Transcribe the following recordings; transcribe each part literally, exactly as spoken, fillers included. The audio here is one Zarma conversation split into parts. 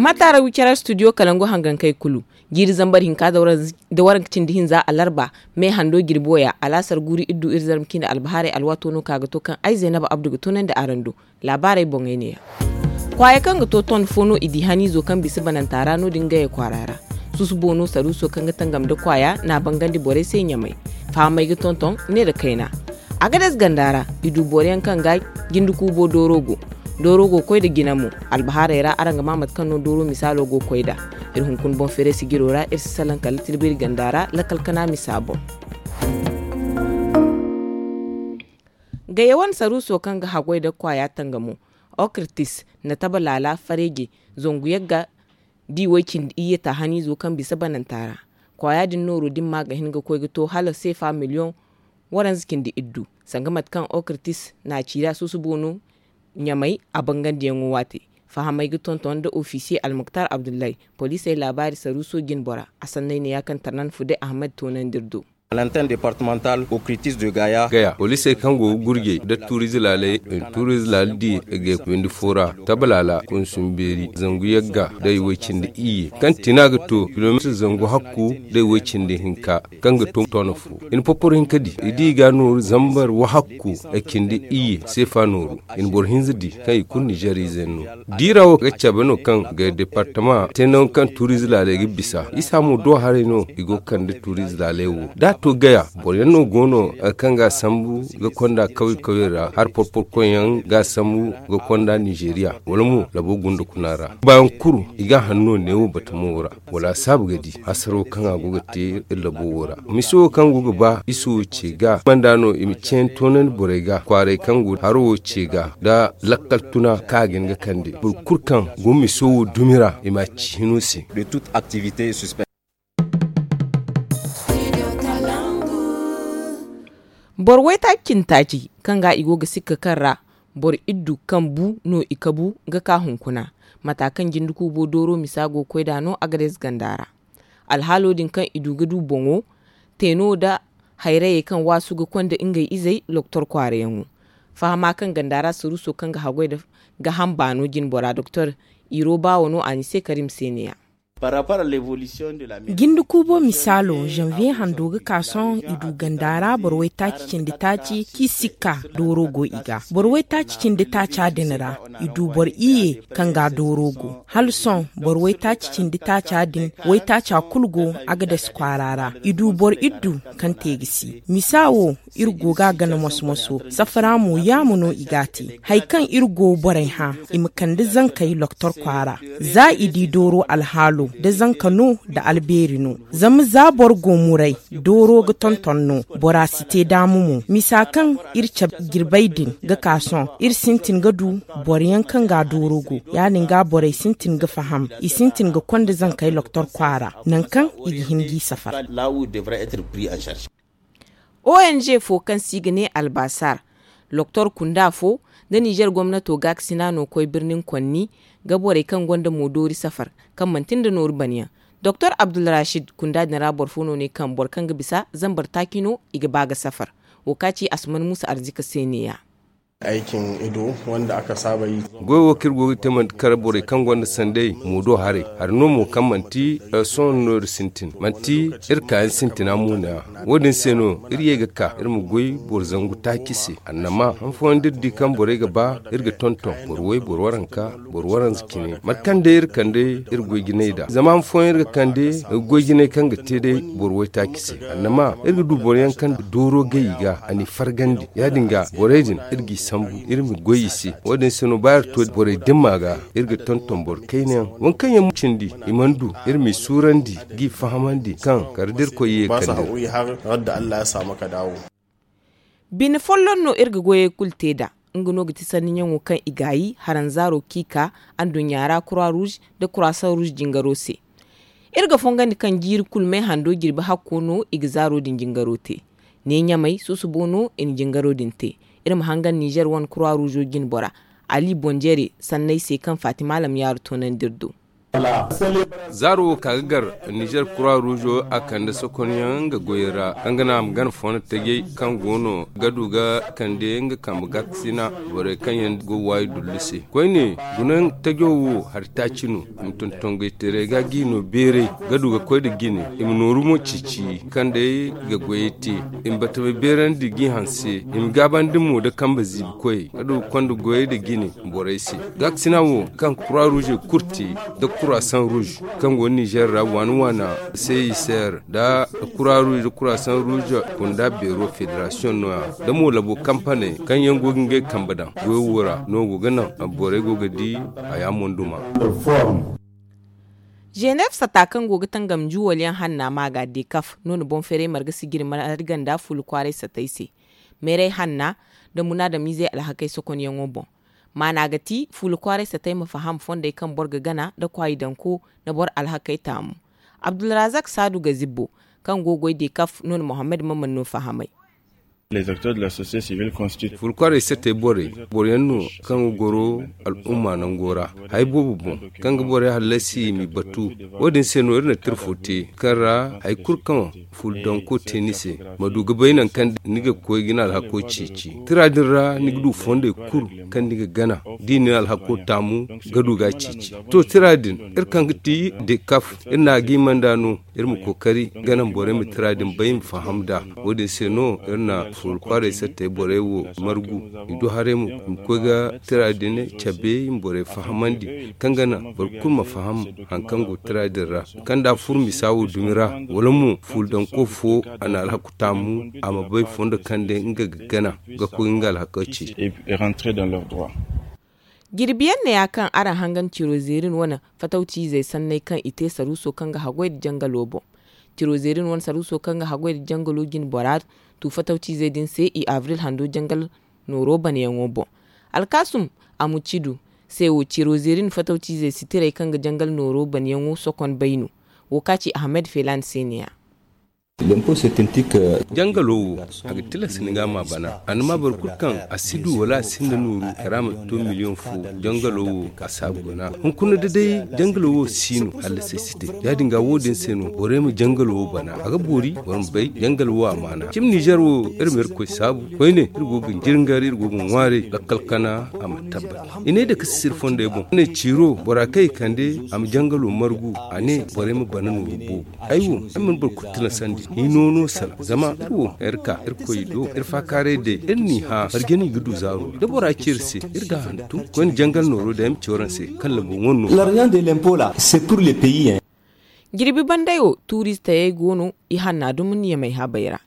A taara wicarar studio kalangu hangankey kulu, jiiri zambar hinka da waranka cindi hinza alarba, me hando jirbi waya alaasar guuru iddu iri zarma ciine albahaarey alwaato no ka ga to kaŋ ay zaynaba abdu ga toonandi araŋ do. Laabaarey boŋey neeya. Kwaaya kaŋ ga to ton fo no i di haniizo kaŋ bisa bananta ra no- din ngey kwaara ra. Susubo no saruuso kaŋ ga tangam nda kwaaya n'a bangandi borey se ɲamay. Fahamey ga tonton ne nda kayna. Agades ganda ra, i du boro yaŋ kaŋ ga jinde kuubo dooro go. Dooro go ga koy nda jina mo. Albahaarey ra araŋ ga maa mate kaŋ no dooro misaalo go ga koy nd'a. Iri hunkuna boŋ feere sijiro ra iri si salaŋ kala tilbiri ganda ra lakkal kana misa boŋ. Gayya wane saruuso kaŋ ga haggoy nda kwaaya tangamo, okritis, na taba laala fareeje, zangu yagga, da i way cindi iyye taahaniizo kaŋ bisa bananta ra. Kwaaya din nooro din ma ga hin ga koy ga to hala seefa miliyoŋ waranza cindi iddu. Sanga mate kaŋ okritis n'a ciira susubo no ɲamay a bangandiyaŋo waate. Fahamey ga tonton nda ofisiye almuktar abdullahi, poliisey laabaari saruuso jinbora. A sanney ne ya kaŋ tarnan fude ahmed toonandi iri do. Gaya poliisey kaŋ go ga gurjey nda tuuriize laaley, tuuriize laala diya ga windi fo ra, taba laala kunsum beeri zangu yagga da i way cindi iyye kaŋ tina ga to kilomeetir zangu hakku da i way cindi hinka. Kaŋ ga to toona fo i na poporo hinka di i di i ga nooru zambar wahakku. Ay cindi iyye seefa nooru i na boro hinza di kaŋ i kulu nizeer ize no. Diira wo ga cabe no kaŋ ga departama te nangu kaŋ tuuriize laaley ga bisa isa mo do haray no i go ga kande tuuriize laaley wo da a to gaya. Boro yaŋ no go no kaŋ ga a sambu ga konda kawye kawye ra hari porporkoy yaŋ ga a sambu ga konda nizeeriya wala mo labo gunda kuna ra. Baayaŋ kulu i ga a hanno neewo batamo ra. Wala a saabu ga di hasaro kaŋ a go ga te iri labo wo ra. Miso wo kaŋ go ga ba iso wo ce ga manda no i ma ceeni toonandi borey ga kwaaray kaŋ go haro wo ce ga nda lakkal tuna kaŋ a ga hin ga kande boro kulu kaŋ go miso wo dumi ra i ma a ci hino se. Boro waytaaci cindi taaci kaŋ ga i go ga sikka kaŋ ra boro iddu kaŋ bu no i kabu ga ka hunkuna. Mata kaŋ jinde kuubo dooro misa go ga koy nd'a no agades ganda ra. Alhaalo din kaŋ i du ga du boŋo te no nda hayrayey kaŋ waasu ga konda ngey izey loktor kwaarayaŋo. Fahama kaŋ ganda ra saruuso kaŋ ga haggoy nda gaaham baano jinbora doktor iro baawo no a ni se karim se ne-ya. Jinde kuubo misaalo zanviye hando ga ka sohõ i du ganda ra boro waytaaci cindi taaci kaŋ i sikka dooro go i ga boro waytaaci cindi taaca din ra i du boro iyye kaŋ ga dooro go hala sohõ boro waytaaci cindi taaca din waytaaca kulu go agades kwaara ra i du boro iddu kaŋ te ga si misa wo iri go ga a gana moso-moso safara mo yaamo no i ga a te. Hari kaŋ iri go borey hã i ma kande zankey loktor kwaara za i di dooro alhaalo nda zanka no nda albeeri no. Zama za boro go muray dooro ga tonton no bora si te daama mo misa kaŋ iri cabe jirbey din ga ka sohõ iri sintin ga du boro yaŋ kaŋ ga dooro go ya- din ga borey sintin ga faham i sintin ga konda zankey loktor kwaara nangu kaŋ i ga hin g'i safar. Ong fo kaŋ se i ga ne albasar loktor kunda fo nda nizer gomnato gaakasina no koy birnin konni ga borey kaŋ gonda moodoori safar kaŋ manti nda nooru banyaŋ. Doktor abdulrashid kunda din ra boro fo no ne kaŋ boro kaŋ ga bisa zambar taaci no i ga ba ga safar. Wo ka ci asuman muusa arzika se ne-ya. Goy wo kaŋ iri go ga te manti kala borey kaŋ gonda sanday moodo haray hari no mo kaŋ manti sohõ no iri sintin manti iri kaayaŋ sintina mo no-ya. Wo- din se no iri ye ga ka iri ma goy boro zangu taaci se annama han fooyaŋ da iri di kaŋ borey ga ba iri ga tonton boro way boro waranka boro waranza cine mate kaŋ day iri kande iri goy jinay nd'a zama han fooyaŋ iri ga kande goy jinay kaŋ ga te day boro waytaaci se annama iri ga du boro yaŋ kaŋ dooro gay i ga a n'i fargandi ya- din ga borey din iri g'i sambu iri ma goy i se. Wo- din se no ba iri to borey dimma ga iri ga tonton boro kayna yaŋ waŋ kaŋ yaŋ mo cindi i mana du iri m'i suurandi g'i fahamandi kaŋ kala da irkoy ye kande. Bine folloŋ no iri ga goyey kulu te nd'a nga no ga ti sanniyaŋo kaŋ i gaayi haranzaaro kaŋ i ka anduɲɲa ra kura ruuz nda kurasaŋ ruuz jingaro se. Iri ga fongandi kaŋ jiiri kulu me hando jirbi hakko no i ga zaaro din jingaro te. Ne ɲamay susubo no i na jingaro din te. Iri ma hangan nizer wane kura ruuzo jinbora ali bonjere sanney se kaŋ fatima lamyaaru toonandi iri do. Zaaro wo ka ga gar nizer kura ruuzo a kande sokonyaŋ nga goyey ra kaŋ ga naŋ a ma gana fondo tajey kaŋ go no ga du ga kande nga kambe gaakasina borey kaŋ yaŋ go waayi dullu se. Koyne gunaŋ tajo wo hari taaci no i ma tontongaytaray ga g'i no beeray ga du ga koy nda jine i ma nooru mo ciici kaŋ day ga goyey te i ma batamey beerandi g'i hanse i ma gaabandi mo nda kambe ziibi koyey ga du ga konda goyey nda jine borey se. Gaakasina wo kaŋ kura ruuze kulu te nda kurasan ruuz kaŋ go nizer ra waana waana, seyiser nda kura ruuz nda kurasan ruuz kunda beero federasiyoŋ no- ya nda mo labo kampaney kaŋ yaŋ go ga ngey kambe daŋ goyo wo ra no go ga naŋ borey go ga di haya monduma. Ženeef sata kaŋ go ga tangam juwal yaŋ hanna maaga dekaf no- na boŋ feeray marga sijiri marganda fuula kwaaray satey se. Meeray hanna nda munaadamiizey alhakey sokonyaŋo boŋ. Maana ga ti fuula kwaaray satey ma faham fondey kaŋ boro ga gana nda kwaayi danko nda boro alhakey taamu. Abdulrazak saadu ga zibbo kaŋ go goy dekaf no- na mohammed maman no fahamay. Fuula kwaaray satey borey boro yaŋ no kaŋ ga goro al'umma nango ra haya boobo boŋ kaŋ ga borey hallasi i m'i batu. Wo- din se no iri na tira fo te kaŋ ra haya kulu kaŋ fuula danko te ni se ma du ga bay nangu kaŋ ni ga koy ga ni alhako ceeci. Tira din ra ni ga du fondey kulu kaŋ ni ga gana da i na ni alhako taamu ga du ga a ceeci. To tira din iri kaŋ ga ti dekaf iri na a ga i manda no iri ma kookari ga naŋ borey ma tira din bay ma faham nd'a. Wo- din se no iri na fuula kwaaray sattey borey wo margu i du haray mo i ma koy ga tira din cabe i ma borey fahamandi kaŋ ga naŋ boro kulu ma faham hari kaŋ go tira din ra kaŋ da a furo misa wo dumi ra wala mo fuula danko fo a na alhaku taamu a ma bay fondo kaŋ day nga ga gana ga koy nga alhaka ceeci. Jirbi yaŋ ne ya kaŋ araŋ hangan ciro zeerin wane fatawciizey sanney kaŋ i te saruuso kaŋ ga haggoy nda jangalo boŋ. Ciro zeerin wane saruuso kaŋ ga haggoy nda jangalo jine bora tu fatawciizey din se i abril hando jangal nooro baneyaŋo boŋ. Alkaasum amucidu se wo ciro zeerin fatawciizey sitirey kaŋ ga jangal nooro baneyaŋo sokon bay no. Wo ka ci ahamed feelaani se ne- ya. Jangalo wo a ga tilas ni ga a ma bana a na ma boro kulu kaŋ a si du wala a sinda nooru kala a ma to miliyoŋ fo. Jangalo wo a si a guna hunkuna da day jangalo wo si no hallasay si te. Ya- din ga wo- din se no borey ma jangalo wo bana a ga boori boro ma bay jangalo wo a maana cimi nizer wo iri ma iri koy saabu koyne iri go ga jirngar iri go ga ŋwaaray lakkal kana a ma tabbat. I ne dake sisir fondey boŋ a ne ciiro bora kaŋ i kande a ma jangalo margu a ne borey ma bana nooru boobo. Ay wo ay mana boro kulu tilasandi ni noono sala zama iri wo iri ka iri koy do iri faakaaray day iri n'i hã marje no i ga du zaaro da bora ci iri se iri ga a hantum koyne jangal nooro day ay ma ci waraŋ se kaŋ labo ŋwa no. L'argent de l'impôt là c'est pour le pays. Jirbi banday wo tuuristayey go no i hanna dumi ɲamay habey ra.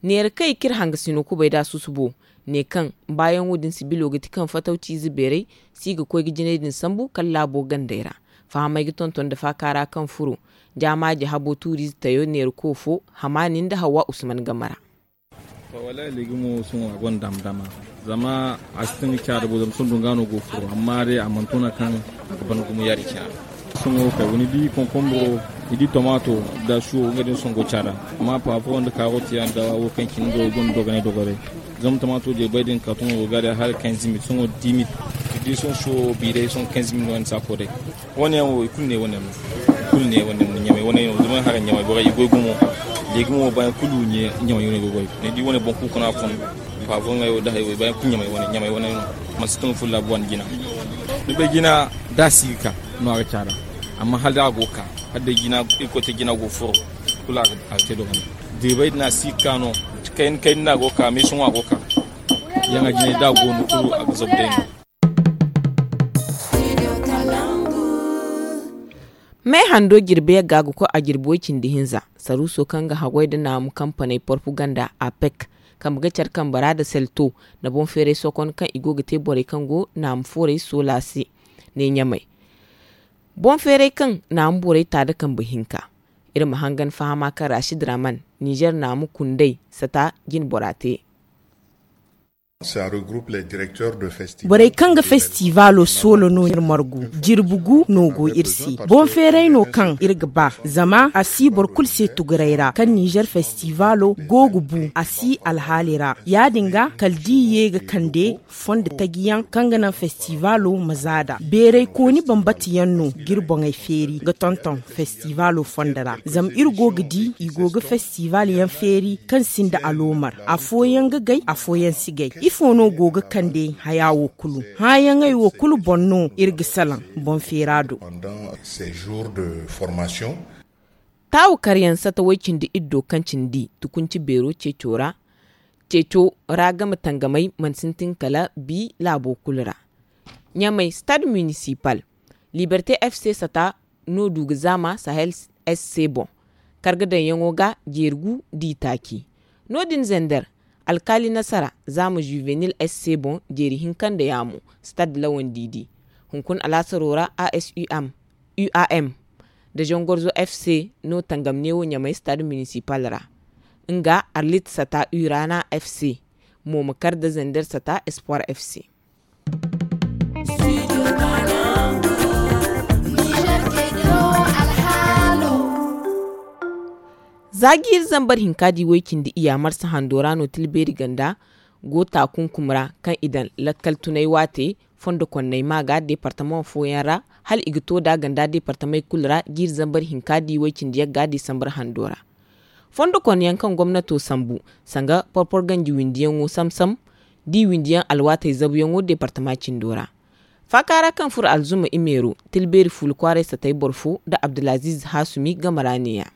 Neera kaŋ i k'iri hangasino kubay da susubo ne kaŋ baayaŋo din sibilo ga ti kaŋ fatawci ize beeray si ga koy ga jinay din sambu kala laabo gandey ra. Fahamey ga tonton nda faakaara kaŋ furo jaamaaji habo tuuriize tayo neera koofo hamaani nda hawwa usman game ra. Wallaahi leegimo sohõ a gonda dama dama zama a si tun ga caara bo zama sohõ dunga no go ga furo amma day a mana tuna kaŋ a ga ban gumo yaadin cine ra. Sohõ kay wo ni di konkomboro ni di tomaato nda suwo nga din sohõ go ga caara. Amma paafo nda kaarot yaŋ nda wo kaŋ cine nga wo gonda dogonay dogonay. Zama tomaato jirbi bay din karton wo ga day hala quinze mille sohõ dix mille. Ni di sohõ suwo biiray sohõ quinze mille no yaŋ ni si a koy day. Wane yaŋ wo i kulu ne wane yaŋ no. I kulu ne wane yaŋ no ɲamay wane yaŋ no zama hara ɲamay borey i goy gumo. Leegimo wo baayaŋ kulu ɲamay wane go goy. Ni di wane boŋ kulu kuna fun paafo ŋayo nda hayo baayaŋ kulu ɲamay wane ɲamay wane yaŋ no. Mansi tun fulla buwan jina. Ni bay jina da a si ga ka no a ga caara. Amma hala da a go ga ka hala day jina irkoy te jina go furo. Kulu a ga te dogonay. Jirbi bay din a si ga ka no. Kayna kayna no a go ga ka meeso ŋwa a go ga ka. Yaŋ a jinay da a go no kulu a ga zabu day no. Me hando jirbi yagga ga koy a jirbi way cindi hinza saruuso kaŋ ga haggoy nda naamu kampaney porpaganda apec kambe ga care kambe ra nda selto nda boŋ feeray sokon kaŋ i go ga te borey kaŋ go naamu foorey soola se. Ne ɲamay boŋ feeray kaŋ naamu borey ta nda kambe hinka. Iri ma hangan fahama kaŋ rashid raman nizer naamu kundey sata jine bora te. Borey kaŋ ga festivalo soola no iri margu. Jirbi gu no go iri se. Boŋ feeray no kaŋ iri ga ba, zama a si boro kulu se tuguray ra kaŋ nizer festivalo go ga bu a si alhaali ra. Ya- din ga kala da i ye ga kande fondo taji yaŋ kaŋ ga naŋ festivalo ma zaada. Beeray kooni bambata yaŋ no ga iri boŋey feeri ga tonton festivalo fondo ra, zama iri go ga di i go ga festival yaŋ feeri kaŋ sinda aloomar. Afooyaŋ ga gay, afooyaŋ si gay. Ifo no go ga kande haya wo kulu? Hããyaŋey wo kulu boŋ no iri ga salaŋ boŋ feera do. Taawu karyaŋ sata way cindi iddo kaŋ cindi tukunci beero ceeco ra. Ceeco ra game tangamey mana sintin kala bi laabo kulu ra. Ɲamey stade municipal, liberté f c sata no du ga zaama sahel s c boŋ. Karga daŋyaŋo ga jeeri gu d'i taaci. No- din zender, alkaali nasara zaama juvenil s c boŋ jeeri hinka nda yaamo. Stade lawandi di hunkuna alaasaro ra a s u m u a m nda zangorzo f c no tangam neewo ɲamey stade municipal ra. Nga arlit sata urana f c mo ma kar nda zender sata espoir f c. Za jiiri zambar hinka di way cindi iyya marsa hando ra no tilbeeri ganda go taakunkum ra kaŋ i daŋ lakkal tunay waate fondo konney ma ga deepartamaŋ fooyaŋ ra hala i ga to nd'a ganda deepartamey kulu ra jiiri zambar hinka di way cindi yagga disambar hando ra. Fondo konyaŋ kaŋ gomnato sambu sanga porpor ganji windiyaŋo sam-sam da i windiyaŋ alwaatey zabuyaŋo deepartama cindo ra. Faaka ra kaŋ furo alzuma imeero tilbeeri fuula kwaaray satay boro fo nda abdulaziiz haasumi game ra neeya.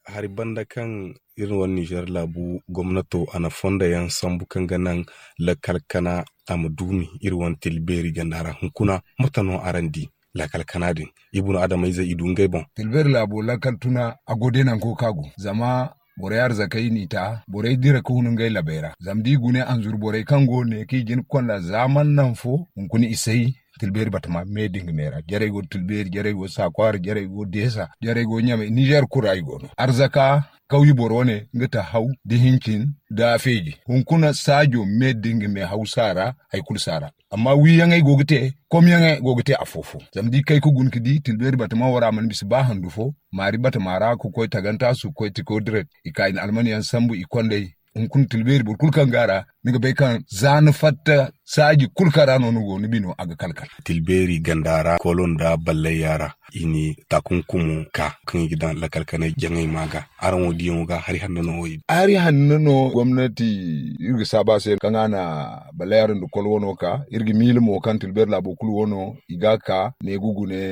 Hari banda kaŋ iri wane nizer laabu gomnato a na fondo yaŋ sambu kaŋ ga naŋ lakkal kana a ma duumi iri wane tilbeeri ganda ra hunkuna mate no araŋ di lakkal kana din? Ibunu adamayzey i du ngey boŋ. Tilbeeri laabo lakkal tuna a go day nango kaŋ a go zama borey arzakey n'i ta borey dira ka hun ngey labey ra zama da i gune anzuru borey kaŋ go ne kaŋ i jin ga konda zaaman naŋ fo hunkuna i say. Tilbeeri batama me da nga me ra jarey go tilbeeri jarey go saakwaara jarey go deesa jarey go ɲamey nizer kulu ra i go no arzaka kawyi boro wane nga ta haw da hincin da feeji hunkuna saajo me da nga me haw saara. Hari kulu saara amma wiiyaŋey go ga te komyaŋey go ga te afo-fo zama da i kay ga guna ga di tilbeeri batama wo ra mana bisa ba handu fo maari batama ra ga koy tagantaasu ga koy tiko direct i ka i na almanyaŋ sambu i kondey. Hunkuna tilbeeri boro kulu kaŋ go a ra ni ga bay kaŋ za ni fatta saaji kulu kaŋ ra no ni go ni bino a ga kala-kala. Tilbeeri ganda ra koolo nda ballay yaara i na taakunkumo ka kaŋ i ga daŋ lakkal kanay jaŋay ma ga. Araŋ wo diyaŋo ga hari hanno no wo i di. Hari hanno no gomnati iri ga saabu a se kaŋ a na ballay yaara nda kol wano ka iri ga miila mo kaŋ tilbeeri laabo kulu wano i ga a ka ne ga gune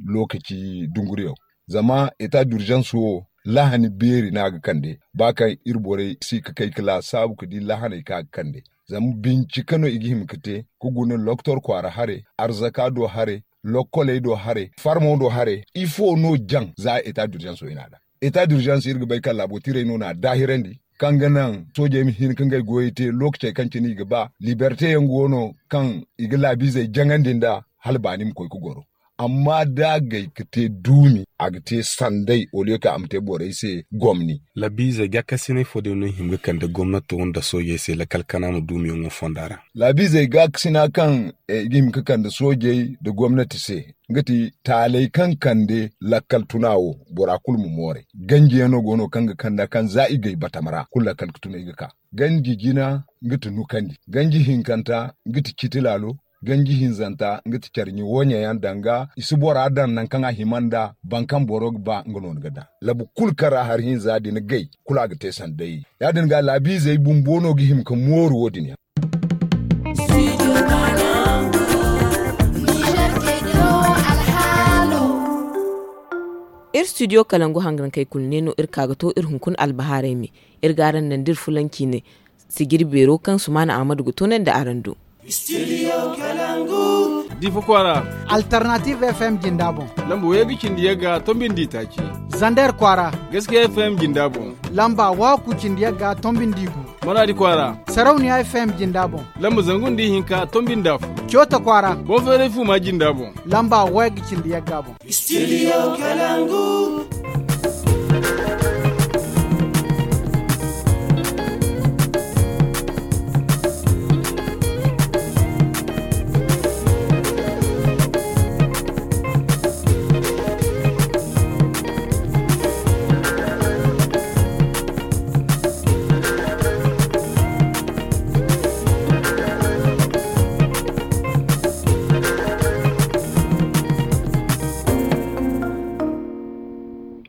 lookaci dunguriyaŋ. Zama eta durzans wo lahani beeri no a ga kande ba kaŋ iri borey si ga kay ga laasaabu ga di lahaney kaŋ a ga kande. Zama bincika no i ga hima ga te ga guna loktor kwaara hare arzaka do hare lokkoley do hare farmo do hare ifo no jaŋ za eta durzans wo i na a daŋ. Eta durzans iri ga bay kaŋ laabo tiray no na a daahirandi kaŋ ga naŋ soojey ma hin ga ngey goyey te lookacey kaŋ cine i ga ba liberte yaŋ go no kaŋ i ga laabiizey jaŋandi nd'a hala baani ma koy ga goro. Amma da a gay ga te duumi a ga te sanday oliyo kaŋ a ma te borey se gomni. Laabiizey gaakasinay fo day no i hima ga kande gomnato nda soojey se lakkal kana ma duumiyaŋo fonda ra. Laabiizey gaakasina kaŋ i ga hima ga kande soojey nda gomnati se nga ti taaley kaŋ kande lakkal tuna wo bora kulu ma mooray. Ganjiyaŋ no go no kaŋ ga kanda kaŋ za i gay batama ra kulu lakkal ga tuna i ga ka ganji jina nga ti nukandi ganji hinkanta nga ti citi laalo ganji hinzanta nga ti care ɲa wooɲey yaŋ danga i si bora daŋ nangu kaŋ a hima nd'a. Boro kaŋ boro ga ba nga no ni ga daŋ labu kulu kaŋ ra hari hinza din gay kulu a ga te sanday. Ya- din ga laabiizey bumbo no ga hima ga mooru wo- din yaŋ. Iri studio kalangu hangankey kulu ne no iri ka ga to iri hunkuna albahaarey me. Iri ga araŋ naŋ da iri fulanci ne sijiri beero kaŋ sumaana ahmadu ga toonandi araŋ do. Diifa kwaara. Alternative f m jinda boŋ. Lamba wayga cindi yagga tombindi taaci. Zander kwaara. Gaskiya f m jinda boŋ. Lamba waaku cindi yagga tombindi gu. Maraadi kwaara. Sarauniya f m jinda boŋ. Lamba zangu nda ihinka tombindi afo. Coota kwaara. Boŋ feeray fuuma jinda boŋ. Lamba wayga cindi yagga boŋ. Studio kalangu.